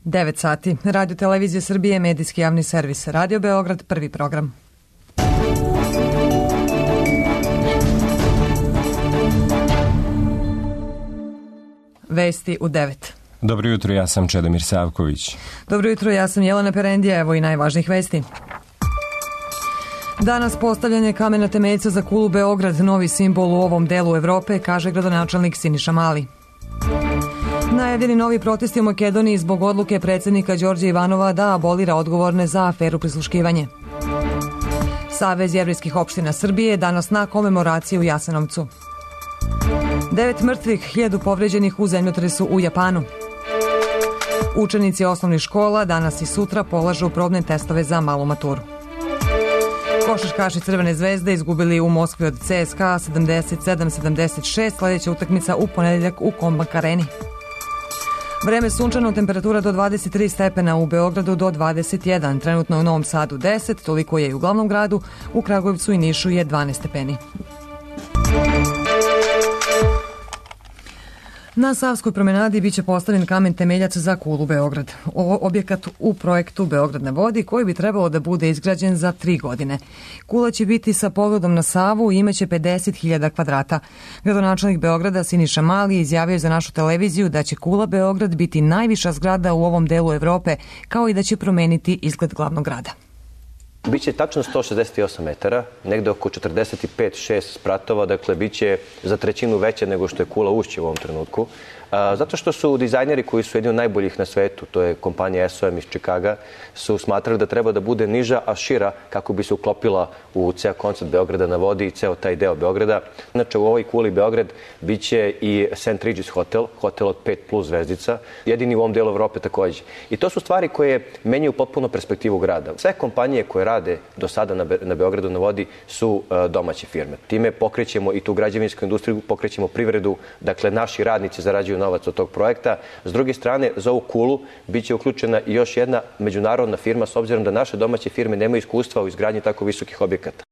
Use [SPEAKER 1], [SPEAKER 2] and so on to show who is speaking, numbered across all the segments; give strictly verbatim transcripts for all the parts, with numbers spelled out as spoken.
[SPEAKER 1] devet sati. Radio Televizija Srbije, medijski javni servis. Radio Beograd, prvi program. Vesti u devet.
[SPEAKER 2] Dobro jutro, ja sam Čedomir Savković.
[SPEAKER 1] Dobro jutro, ja sam Jelena Perendija. Evo i najvažnijih vesti. Danas postavljanje kamena temeljca za kulu Beograd, novi simbol u ovom delu Evrope, kaže gradonačelnik Siniša Mali. Najavljeni novi protesti u Makedoniji zbog odluke predsjednika Đorđa Ivanova da abolira odgovorne za aferu prisluškivanje. Savez jevrejskih opština Srbije danas na komemoraciji u Jasenovcu. Devet mrtvih, hiljadu povređenih u zemljotresu u Japanu. Učenici osnovnih škola danas i sutra polažu probne testove za malu maturu. Košarkaši Crvene zvezde izgubili u Moskvi od C S K A sedamdeset sedam sedamdeset šest, sljedeća utakmica u ponedeljak u Kombank areni. Vreme sunčano, temperatura do dvadeset tri stepena, u Beogradu do dvadeset jedan, trenutno u Novom Sadu deset, toliko je i u glavnom gradu, u Kragujevcu i Nišu je dvanaest stepeni. Na Savskoj promenadi biće postavljen kamen temeljac za kulu Beograd. Ovo objekat u projektu Beograd na vodi koji bi trebalo da bude izgrađen za tri godine. Kula će biti sa pogledom na Savu i imaće pedeset hiljada kvadrata. Gradonačelnik Beograda Siniša Mali izjavio za našu televiziju da će kula Beograd biti najviša zgrada u ovom delu Evrope, kao i da će promeniti izgled glavnog grada.
[SPEAKER 3] Biće tačno sto šezdeset osam metara, negde oko četrdeset pet šest spratova, dakle biće za trećinu veće nego što je kula Ušće u ovom trenutku. Zato što su dizajneri koji su jedni od najboljih na svetu, to je kompanija S O M iz Čikaga, su smatrali da treba da bude niža, a šira kako bi se uklopila u ceo koncept Beograda na vodi i ceo taj deo Beograda. Znači u ovoj kuli Beograd biće i Saint Regis hotel, hotel od pet plus zvezdica, jedini u ovom delu Evrope takođe. I to su stvari koje menjaju potpuno perspektivu grada. Sve kompanije koje rade do sada na, Be na Beogradu na vodi su uh, domaće firme. Time pokrećemo i tu građevinsku industriju, pokrećemo privredu, dakle naši radnici zarađuju novac od tog projekta. S druge strane, za ovu kulu biće uključena i još jedna međunarodna firma, s obzirom da naše domaće firme nemaju iskustva u izgradnji tako visokih objekata.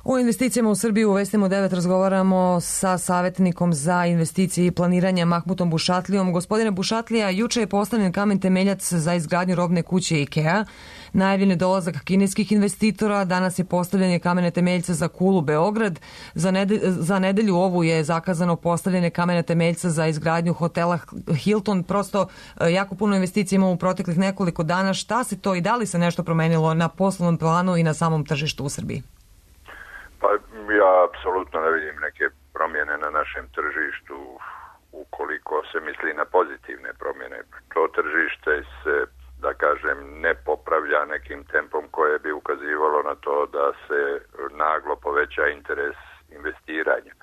[SPEAKER 1] O investicijama u Srbiju u Vestima u devet razgovaramo sa savjetnikom za investicije i planiranje Mahmutom Bušatlijom. Gospodine Bušatlija, juče je postavljen kamen temeljac za izgradnju robne kuće IKEA. Najavljen je dolazak kineskih investitora, danas je postavljanje kamene temeljca za kulu Beograd. Za, nedelj, za nedelju ovu je zakazano postavljanje kamene temeljca za izgradnju hotela Hilton. Prosto jako puno investicija imamo u proteklih nekoliko dana. Šta se to i da li se nešto promenilo na poslovnom planu i na samom tržištu u Srbiji?
[SPEAKER 4] Pa ja apsolutno ne vidim neke promjene na našem tržištu ukoliko se misli na pozitivne promjene. To tržište se, da kažem, ne popravlja nekim tempom koje bi ukazivalo na to da se naglo poveća interes investiranja.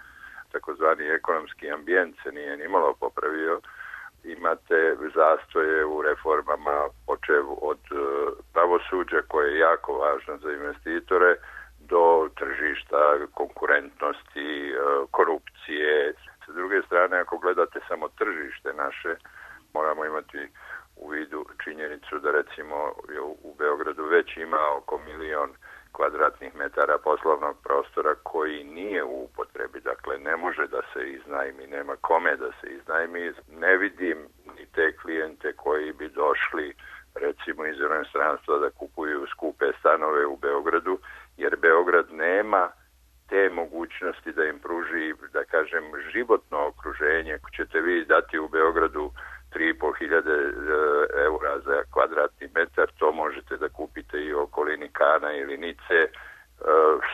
[SPEAKER 4] Takozvani ekonomski ambijent se nije nimalo popravio. Imate zastoje u reformama, počev od pravosuđa koje je jako važno za investitore, do tržišta, konkurentnosti, korupcije. S druge strane, ako gledate samo tržište naše, moramo imati u vidu činjenicu da recimo u Beogradu već ima oko milion kvadratnih metara poslovnog prostora koji nije u upotrebi. Dakle, ne može da se iznajmi, nema kome da se iznajmi. Ne vidim ni te klijente koji bi došli recimo iz inostranstva da kupuju skupe stanove u Beogradu, jer Beograd nema te mogućnosti da im pruži, da kažem, životno okruženje. Ćete vi dati u Beogradu tri i po hiljade eura za kvadratni metar, to možete da kupite i u okolini Kana ili Nice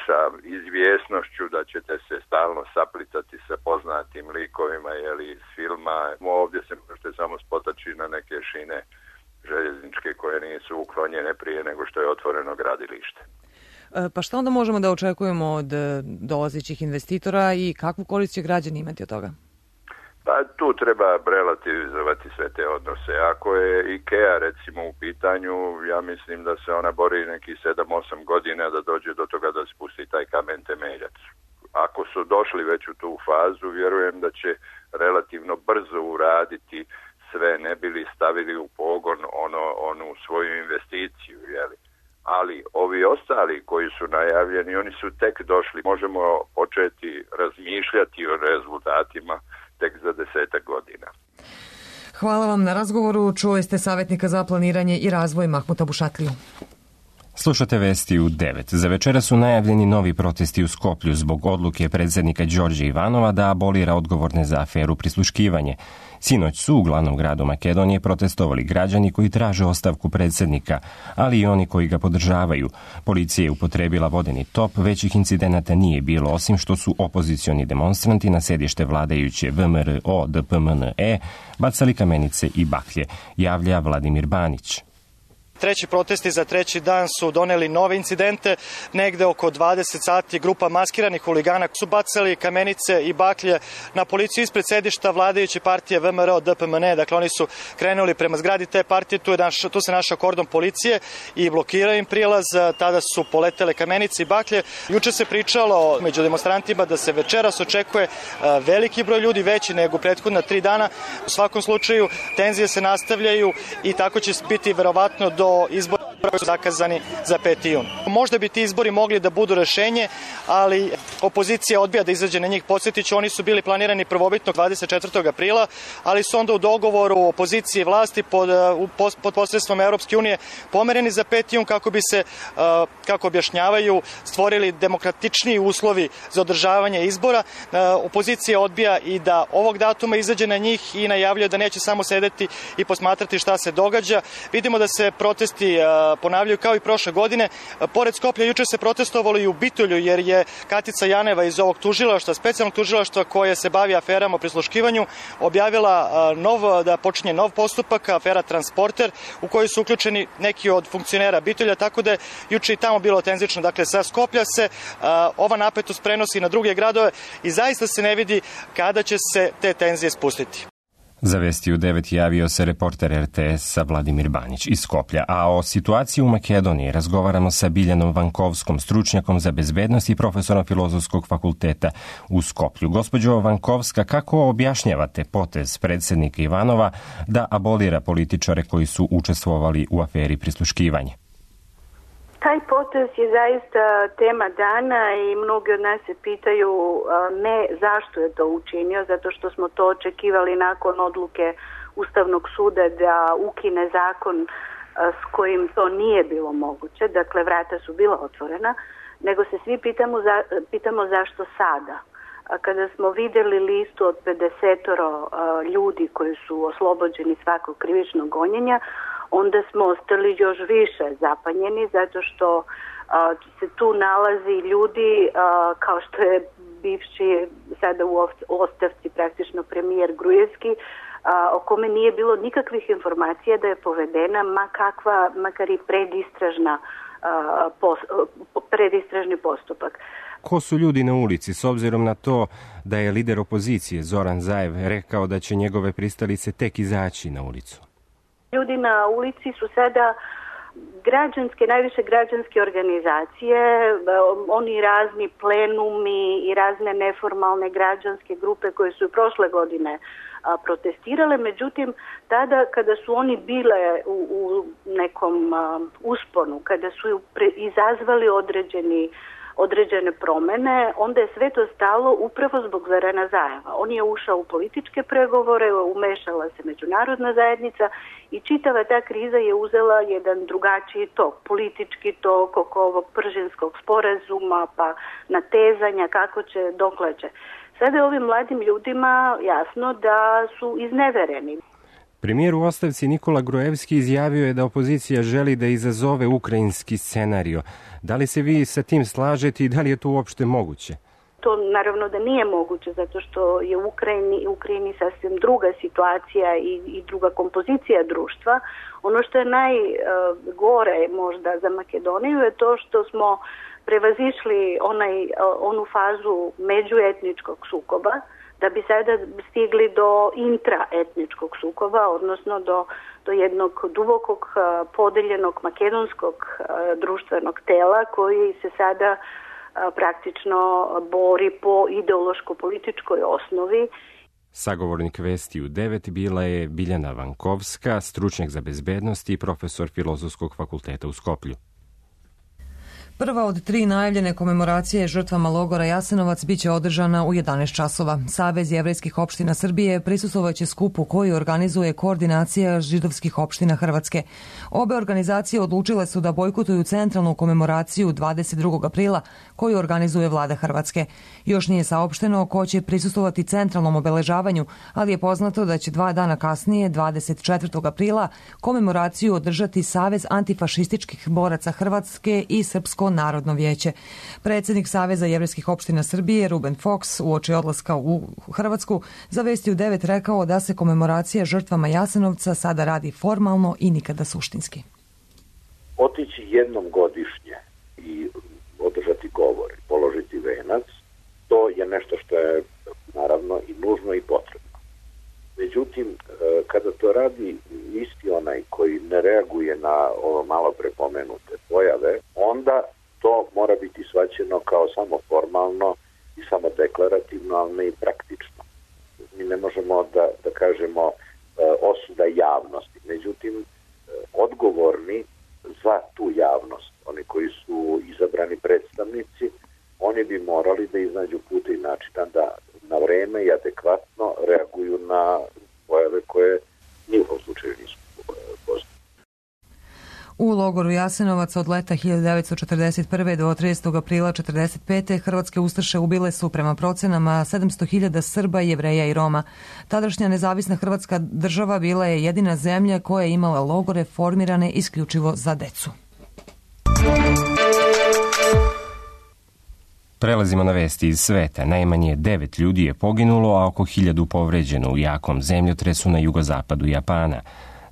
[SPEAKER 4] sa izvjesnošću da ćete se stalno saplitati sa poznatim likovima ili iz filma. Ovdje se možete samo spotaći na neke šine željezničke koje nisu uklonjene prije nego što je otvoreno gradilište.
[SPEAKER 1] Pa šta onda možemo da očekujemo od dolazećih investitora i kakvu korist će građani imati od toga?
[SPEAKER 4] Pa tu treba relativizovati sve te odnose. Ako je IKEA recimo u pitanju, ja mislim da se ona bori neki sedam osam godina da dođe do toga da spusti taj kamen temeljac. Ako su došli već u tu fazu, vjerujem da će relativno brzo uraditi sve, ne bili stavili u pogon ono, onu svoju investiciju, jeli. Ali ovi ostali koji su najavljeni, oni su tek došli. Možemo početi razmišljati o rezultatima tek za desetak godina.
[SPEAKER 1] Hvala vam na razgovoru. Čuli ste savjetnika za planiranje i razvoj Mahmuta Bušatliju.
[SPEAKER 2] Slušate vesti u devet. Za večera su najavljeni novi protesti u Skoplju zbog odluke predsjednika Đorđe Ivanova da abolira odgovorne za aferu prisluškivanje. Sinoć su u glavnom gradu Makedonije protestovali građani koji traže ostavku predsjednika, ali i oni koji ga podržavaju. Policija je upotrebila vodeni top, većih incidenata nije bilo, osim što su opozicioni demonstranti na sedište vladajuće V M R O D P M N E bacali kamenice i baklje, javlja Vladimir Banić.
[SPEAKER 5] Treći protesti za treći dan su doneli nove incidente. Negde oko dvadeset sati grupa maskiranih huligana su bacali kamenice i baklje na policiju ispred sedišta vladajuće partije V M R O D P M N E. Dakle, oni su krenuli prema zgradi te partije, tu, je naš, tu se našao kordon policije i blokirao im prilaz. Tada su poletele kamenice i baklje. Juče se pričalo među demonstrantima da se večeras očekuje veliki broj ljudi, veći nego prethodna tri dana. U svakom slučaju, tenzije se nastavljaju i tako će biti verovatno do izbora koji su zakazani za peti jun. Možda bi ti izbori mogli da budu rešenje, ali opozicija odbija da izađe na njih. Podsjetiću, oni su bili planirani prvobitno dvadeset četvrtog aprila, ali su onda u dogovoru opozicije i vlasti pod, pod posredstvom Europske unije pomereni za peti jun kako bi se, kako objašnjavaju, stvorili demokratičniji uslovi za održavanje izbora. Opozicija odbija i da ovog datuma izađe na njih i najavljuje da neće samo sedeti i posmatrati šta se događa. Vidimo da se protesti ponavljaju kao i prošle godine. Pored Skoplja juče se protestovalo i u Bitolju jer je Katica Janeva iz ovog tužilaštva, specijalnog tužilaštva koje se bavi aferama o prisluškivanju, objavila nov, da počinje nov postupak, afera Transporter, u kojoj su uključeni neki od funkcionera Bitolja, tako da je juče i tamo bilo tenzično. Dakle, sa Skoplja se ova napetost prenosi na druge gradove i zaista se ne vidi kada će se te tenzije spustiti.
[SPEAKER 2] Za vesti u devet javio se reporter R T S-a Vladimir Banić iz Skoplja, a o situaciji u Makedoniji razgovaramo sa Biljanom Vankovskom, stručnjakom za bezbednost i profesorom Filozofskog fakulteta u Skoplju. Gospođo Vankovska, kako objašnjavate potez predsjednika Ivanova da abolira političare koji su učestvovali u aferi prisluškivanja?
[SPEAKER 6] Taj potez je zaista tema dana i mnogi od nas se pitaju ne zašto je to učinio, zato što smo to očekivali nakon odluke Ustavnog suda da ukine zakon s kojim to nije bilo moguće, dakle vrata su bila otvorena, nego se svi pitamo, za, pitamo zašto sada. Kada smo vidjeli listu od pedesetoro ljudi koji su oslobođeni svakog krivičnog gonjenja, onda smo ostali još više zapanjeni zato što a, se tu nalazi ljudi a, kao što je bivši sada u ostavci praktično premijer Grujevski, a, o kome nije bilo nikakvih informacija da je povedena ma kakva, makar i predistražna, a, pos, predistražni postupak.
[SPEAKER 2] Ko su ljudi na ulici, s obzirom na to da je lider opozicije Zoran Zaev rekao da će njegove pristalice tek izaći na ulicu?
[SPEAKER 6] Ljudi na ulici su sada građanske, najviše građanske organizacije, oni razni plenumi i razne neformalne građanske grupe koje su prošle godine a, protestirale. Međutim, tada kada su oni bile u, u nekom a, usponu, kada su pre, izazvali određeni određene promjene, onda je sve to stalo upravo zbog Zorana Zaeva. On je ušao u političke pregovore, umešala se međunarodna zajednica i čitava ta kriza je uzela jedan drugačiji tok, politički tok oko ovog pržinskog sporazuma, pa natezanja kako će, dokle će. Sada je ovim mladim ljudima jasno da su iznevereni.
[SPEAKER 2] Premijer u ostavci Nikola Grujevski izjavio je da opozicija želi da izazove ukrajinski scenario. Da li se vi sa tim slažete i da li je to uopšte moguće?
[SPEAKER 6] To naravno da nije moguće, zato što je u Ukrajini, u Ukrajini sasvim druga situacija i, i druga kompozicija društva. Ono što je najgore možda za Makedoniju je to što smo prevazišli onaj, onu fazu međuetničkog sukoba, da bi sada stigli do intraetničkog sukoba, odnosno do, do jednog dubokog podeljenog makedonskog društvenog tela koji se sada praktično bori po ideološko-političkoj osnovi.
[SPEAKER 2] Sagovornik Vesti u devet bila je Biljana Vankovska, stručnjak za bezbednost i profesor Filozofskog fakulteta u Skoplju.
[SPEAKER 1] Prva od tri najavljene komemoracije žrtvama logora Jasenovac biće održana u jedanaest časova. Savez jevrejskih opština Srbije prisustvovaće skupu koji organizuje Koordinacija židovskih opština Hrvatske. Obe organizacije odlučile su da bojkotuju centralnu komemoraciju dvadeset drugog aprila koju organizuje vlada Hrvatske. Još nije saopšteno ko će prisustvovati centralnom obeležavanju, ali je poznato da će dva dana kasnije, dvadeset četvrtog aprila, komemoraciju održati Savez antifašističkih boraca Hrvatske i Srpsko narodno vijeće. Predsjednik Saveza jevrejskih opština Srbije, Ruben Fox, uoči odlaska u Hrvatsku, za Vesti u devet rekao da se komemoracija žrtvama Jasenovca sada radi formalno i nikada suštinski.
[SPEAKER 7] Otići jednom godišnje i održati govor, položiti venac, to je nešto što je naravno i nužno i potrebno. Međutim, kada to radi isti onaj koji ne reaguje na ovo malo prepomenute pojave, onda to mora biti shvaćeno kao samo formalno i samo deklarativno, ali ne i praktično. Mi ne možemo da, da kažemo osuda javnosti. Međutim, odgovorni za tu javnost, oni koji su izabrani predstavnici, oni bi morali da iznađu puta i načina da na vreme i adekvatno reaguju na pojave koje ni u slučaju nisu poznate.
[SPEAKER 1] U logoru Jasenovac od leta hiljadu devetsto četrdeset prve do tridesetog aprila četrdeset pete hrvatske ustaše ubile su prema procenama sedamsto hiljada Srba, Jevreja i Roma. Tadašnja nezavisna Hrvatska država bila je jedina zemlja koja je imala logore formirane isključivo za decu.
[SPEAKER 2] Prelazimo na vesti iz sveta. Najmanje devet ljudi je poginulo, a oko hiljadu povređeno u jakom zemljotresu na jugozapadu Japana.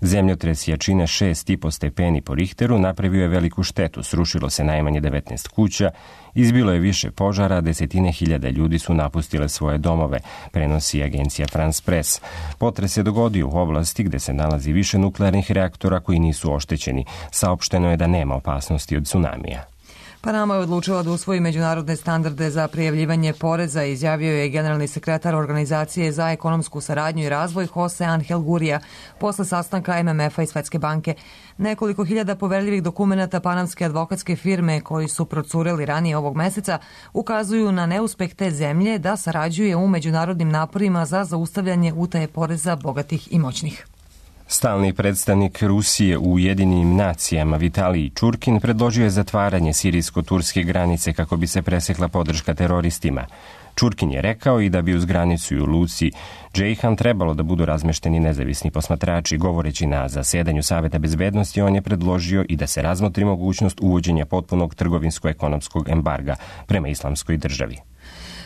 [SPEAKER 2] Zemljotres jačine šest i po stepeni po Richteru napravio je veliku štetu, srušilo se najmanje devetnaest kuća, izbilo je više požara, desetine hiljada ljudi su napustile svoje domove, prenosi agencija France Press. Potres se dogodio u oblasti gde se nalazi više nuklearnih reaktora koji nisu oštećeni. Saopšteno je da nema opasnosti od tsunamija.
[SPEAKER 1] Panama je odlučila da usvoji međunarodne standarde za prijavljivanje poreza, izjavio je generalni sekretar Organizacije za ekonomsku saradnju i razvoj Jose Angel Gurria posle sastanka M M F-a i Svetske banke. Nekoliko hiljada poverljivih dokumenata panamske advokatske firme koji su procureli ranije ovog meseca ukazuju na neuspeh te zemlje da sarađuje u međunarodnim naporima za zaustavljanje utaje poreza bogatih i moćnih.
[SPEAKER 2] Stalni predstavnik Rusije u Ujedinjenim nacijama Vitalij Čurkin predložio je zatvaranje sirijsko-turske granice kako bi se presekla podrška teroristima. Čurkin je rekao i da bi uz granicu u luci Džejhan trebalo da budu razmešteni nezavisni posmatrači. Govoreći na zasedanju Saveta bezbednosti, on je predložio i da se razmotri mogućnost uvođenja potpunog trgovinsko-ekonomskog embarga prema islamskoj državi.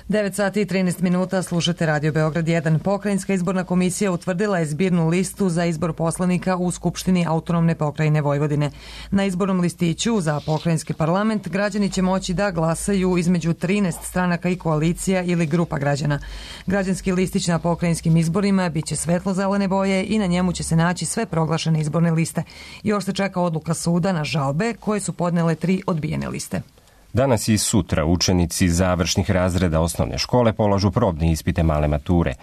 [SPEAKER 1] devet sati i trinaest minuta, slušate Radio Beograd jedan. Pokrajinska izborna komisija utvrdila je zbirnu listu za izbor poslanika u Skupštini autonomne pokrajine Vojvodine. Na izbornom listiću za pokrajinski parlament građani će moći da glasaju između trinaest stranaka i koalicija ili grupa građana. Građanski listić na pokrajinskim izborima biće svetlo-zelene boje i na njemu će se naći sve proglašene izborne liste. Još se čeka odluka suda na žalbe koje su podnele tri odbijene liste.
[SPEAKER 2] Danas i sutra učenici završnih razreda osnovne škole polažu probne ispite male mature.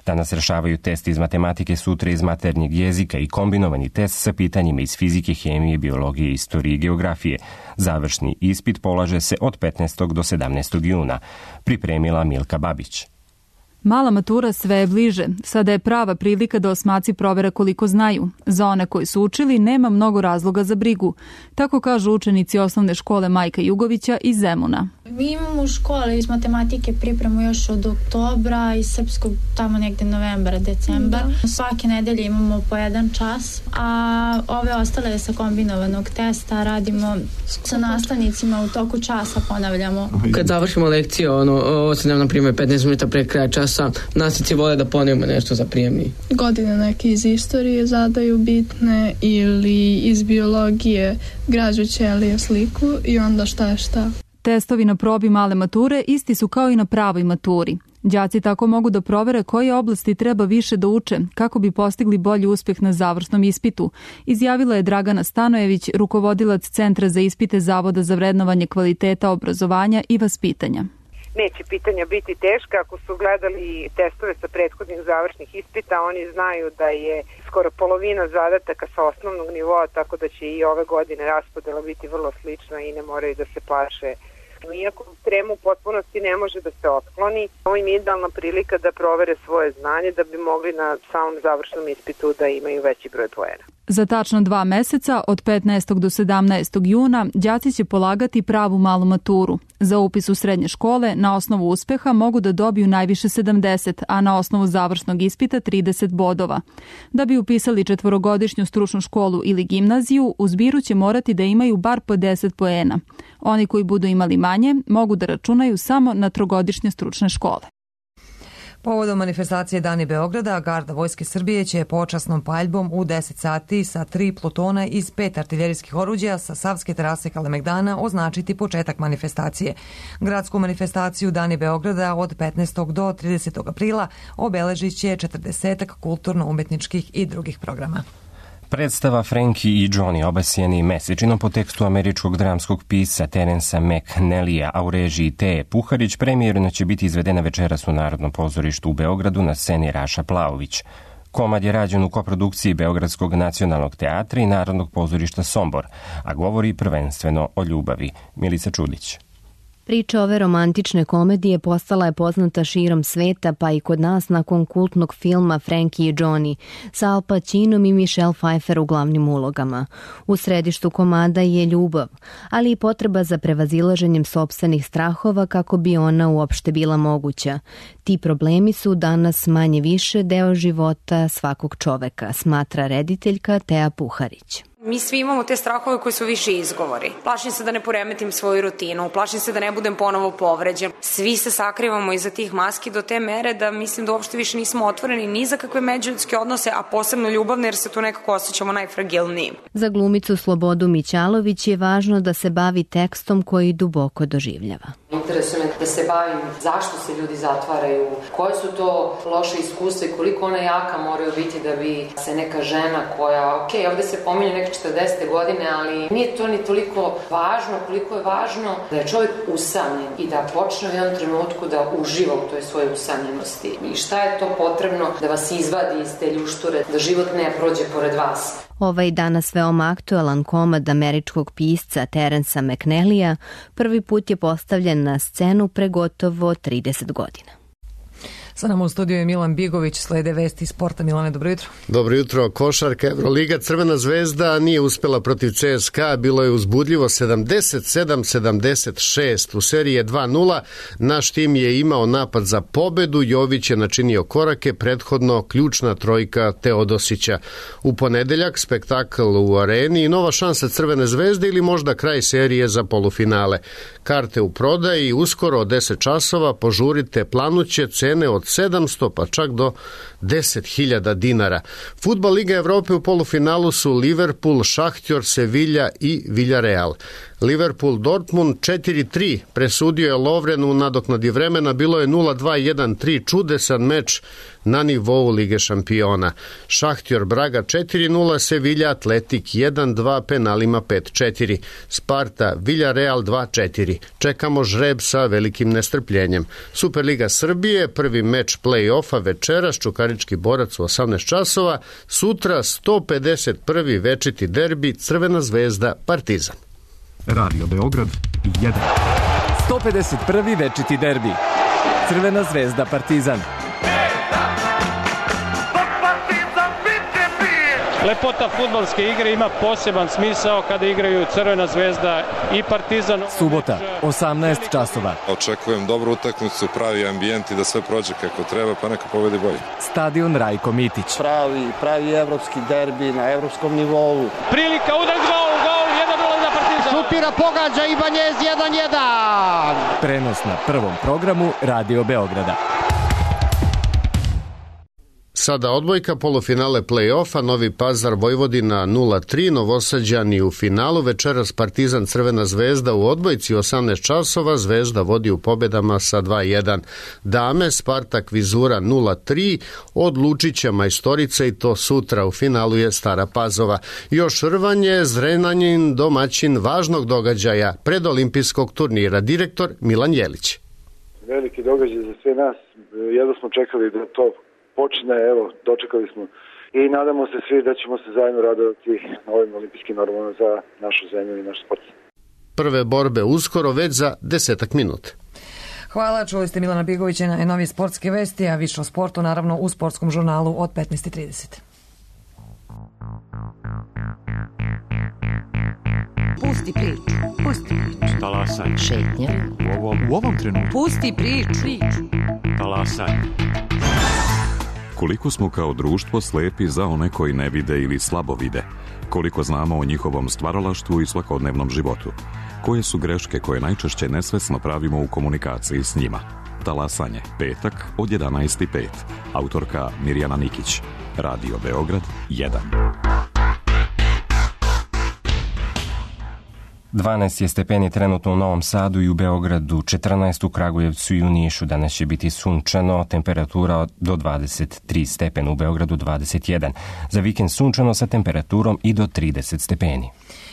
[SPEAKER 2] Danas rešavaju test iz matematike, sutra iz maternjeg jezika i kombinovani test sa pitanjima iz fizike, hemije, biologije, istorije i geografije. Završni ispit polaže se od petnaestog do sedamnaestog juna. Pripremila Milka Babić.
[SPEAKER 8] Mala matura sve je bliže. Sada je prava prilika da osmaci provere koliko znaju. Za one koji su učili nema mnogo razloga za brigu. Tako kažu učenici osnovne škole Majka Jugovića iz Zemuna.
[SPEAKER 9] Mi imamo u školi iz matematike pripremu još od oktobra i srpskog tamo negde novembra, decembar. Da. Svake nedelje imamo po jedan čas, a ove ostale sa kombinovanog testa radimo sa nastavnicima u toku časa, ponavljamo.
[SPEAKER 10] Kad završimo lekciju, ono, ostanem na primjer petnaest minuta pre kraja časa, nastavnici vole da ponovimo nešto za prijemni.
[SPEAKER 11] Godine neke iz istorije zadaju bitne ili iz biologije građu ćelije sliku i onda šta je šta.
[SPEAKER 8] Testovi na probi male mature isti su kao i na pravoj maturi. Đaci tako mogu da provere koje oblasti treba više da uče kako bi postigli bolji uspeh na završnom ispitu, izjavila je Dragana Stanojević, rukovodilac Centra za ispite Zavoda za vrednovanje kvaliteta obrazovanja i vaspitanja.
[SPEAKER 12] neće pitanja biti teška. Ako su gledali testove sa prethodnih završnih ispita, oni znaju da je skoro polovina zadataka sa osnovnog nivoa, tako da će i ove godine raspodela biti vrlo slična i ne moraju da se plaše. Iako tremu u potpunosti ne može da se otkloni, ovo im je idealna prilika da provere svoje znanje da bi mogli na samom završnom ispitu da imaju veći broj poena.
[SPEAKER 8] Za tačno dva meseca, od petnaestog do sedamnaestog juna, đaci će polagati pravu malu maturu. Za upis u srednje škole na osnovu uspeha mogu da dobiju najviše sedamdeset, a na osnovu završnog ispita trideset bodova. Da bi upisali četvorogodišnju stručnu školu ili gimnaziju, u zbiru će morati da imaju bar po deset poena. Oni koji budu imali manje mogu da računaju samo na trogodišnje stručne škole.
[SPEAKER 1] Povodom manifestacije Dani Beograda, Garda Vojske Srbije će počasnom paljbom u deset sati sa tri plutona iz pet artiljerijskih oruđa sa Savske terase Kalemegdana označiti početak manifestacije. Gradsku manifestaciju Dani Beograda od petnaestog do tridesetog aprila obeležit će četrdesetak kulturno-umetničkih i drugih programa.
[SPEAKER 2] Predstava Frankie i Johnny, obasjeni mesečinom po tekstu američkog dramskog pisca Terensa McNellija, a u režiji Teje Puharić, premijerno će biti izvedena večeras u Narodnom pozorištu u Beogradu na sceni Raša Plaović. Komad je rađen u koprodukciji Beogradskog nacionalnog teatra i Narodnog pozorišta Sombor, a govori prvenstveno o ljubavi. Milica Čudić.
[SPEAKER 13] Priča ove romantične komedije postala je poznata širom sveta, pa i kod nas nakon kultnog filma Frankie i Johnny sa Al Pacinom i Michelle Pfeiffer u glavnim ulogama. U središtu komada je ljubav, ali i potreba za prevazilaženjem sopstvenih strahova kako bi ona uopšte bila moguća. Ti problemi su danas manje više deo života svakog čoveka, smatra rediteljka Teja Puharić.
[SPEAKER 14] Mi svi imamo te strahove koji su više izgovori. Plašim se da ne poremetim svoju rutinu, plašim se da ne budem ponovo povređen. Svi se sakrivamo iza tih maski do te mere da mislim da uopšte više nismo otvoreni ni za kakve međuljudske odnose, a posebno ljubavne jer se tu nekako osjećamo najfragilnijim.
[SPEAKER 13] Za glumicu Slobodu Mićalović je važno da se bavi tekstom koji duboko doživljava.
[SPEAKER 15] Interesuje me da se bavim zašto se ljudi zatvaraju, koje su to loše iskustva i koliko ona jaka moraju biti da bi se neka žena koja, ok, ovde se pominje neke četrdesete godine, ali nije to ni toliko važno koliko je važno da je čovjek usamljen i da počne u jednom trenutku da uživa u toj svojoj usamljenosti. I šta je to potrebno da vas izvadi iz te ljušture, da život ne prođe pored vas.
[SPEAKER 13] Ovaj danas veoma aktualan komad američkog pisca Terensa McNellija prvi put je postavljen na scenu pre gotovo trideset godina.
[SPEAKER 1] Sa nama u studiju je Milan Bigović, slede vesti sporta. Milane, dobro jutro.
[SPEAKER 16] Dobro jutro. Košarka Evroliga, Crvena zvezda nije uspela protiv C S K A, bilo je uzbudljivo sedamdeset sedam sedamdeset šest. U seriji je dva nula, naš tim je imao napad za pobedu, Jović je načinio korake, prethodno ključna trojka Teodosića. U ponedeljak spektakl u areni i nova šansa Crvene zvezde ili možda kraj serije za polufinale. Karte u prodaji, uskoro od deset časova, požurite, planuće cene od sedamsto pa čak do deset hiljada dinara. Fudbal Liga Evrope u polufinalu su Liverpool, Šahtjor, Sevilla i Villarreal. Liverpool Dortmund četiri tri presudio je Lovren u nadoknadi vremena, bilo je nula dva jedan tri, čudesan meč na nivou Lige šampiona. Šahtjor Braga četiri nula, Sevilla Atletik jedan dva penalima pet četiri. Sparta Villarreal dva četiri. Čekamo žreb sa velikim nestrpljenjem. Superliga Srbije, prvi meč play-offa večeras, Čukarički borac u osamnaest časova, sutra sto pedeset prvi večiti derbi Crvena zvezda Partizan.
[SPEAKER 17] Radio Beograd jedan. sto pedeset prvi večiti derbi Crvena zvezda Partizan.
[SPEAKER 18] Lepota fudbalske igre ima poseban smisao kada igraju Crvena zvezda i Partizan.
[SPEAKER 17] Subota, osamnaest časova.
[SPEAKER 19] Očekujem dobru utakmicu, pravi ambijent i da sve prođe kako treba, pa neka pobedi bolje.
[SPEAKER 17] Stadion Rajko Mitić.
[SPEAKER 20] Pravi, pravi evropski derbi na evropskom nivou.
[SPEAKER 18] Prilika, udar, gol, gol, jedan nula za Partizan.
[SPEAKER 20] Šutira, pogađa Ibanjez, jedan jedan.
[SPEAKER 17] Prenos na prvom programu Radio Beograda.
[SPEAKER 16] Sada odbojka, polufinale play-offa, Novi Pazar Vojvodina nula tri, Novosađani u finalu, večeras Partizan Crvena zvezda u odbojci osamnaest časova, Zvezda vodi u pobedama sa dva jedan. Dame, Spartak Vizura nula tri, od Lučića Majstorica i to sutra, u finalu je Stara Pazova. Još rvanje, Zrenjanin domaćin važnog događaja predolimpijskog turnira, direktor Milan Jelić.
[SPEAKER 21] veliki događaj za sve nas. Jedno smo čekali da to počne, evo, dočekali smo i nadamo se svi da ćemo se zajedno radovati na ovim olimpijskim normama za našu zemlju i naš sport.
[SPEAKER 16] Prve borbe uskoro, već za desetak minuta.
[SPEAKER 1] Hvala, čuli ste Milana Bigovića na najnovije sportske vesti, a više o sportu naravno u sportskom žurnalu od petnaest i trideset.
[SPEAKER 22] Pusti priču, pusti priču.
[SPEAKER 23] Talasaj.
[SPEAKER 22] Šetnja.
[SPEAKER 23] U ovom, u ovom trenutku.
[SPEAKER 22] Pusti priču.
[SPEAKER 23] Talasaj.
[SPEAKER 24] Koliko smo kao društvo slepi za one koji ne vide ili slabo vide? Koliko znamo o njihovom stvaralaštvu i svakodnevnom životu? Koje su greške koje najčešće nesvesno pravimo u komunikaciji s njima? Talasanje, petak od jedanaest i pet. Autorka Mirjana Nikić. Radio Beograd jedan.
[SPEAKER 2] dvanaest je stepeni trenutno u Novom Sadu i u Beogradu, četrnaest u Kragujevcu i u Nišu. Danas će biti sunčano, temperatura do dvadeset tri stepena, u Beogradu dvadeset jedan. Za vikend sunčano sa temperaturom i do trideset stepeni.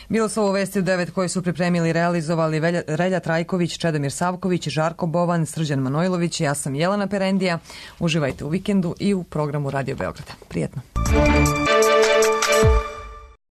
[SPEAKER 1] Bilo su ovo vesti u devet koje su pripremili i realizovali Relja Trajković, Čedomir Savković, Žarko Bovan, Srđan Manojlović i ja sam Jelena Perendija. Uživajte u vikendu i u programu Radio Beograda. Prijetno.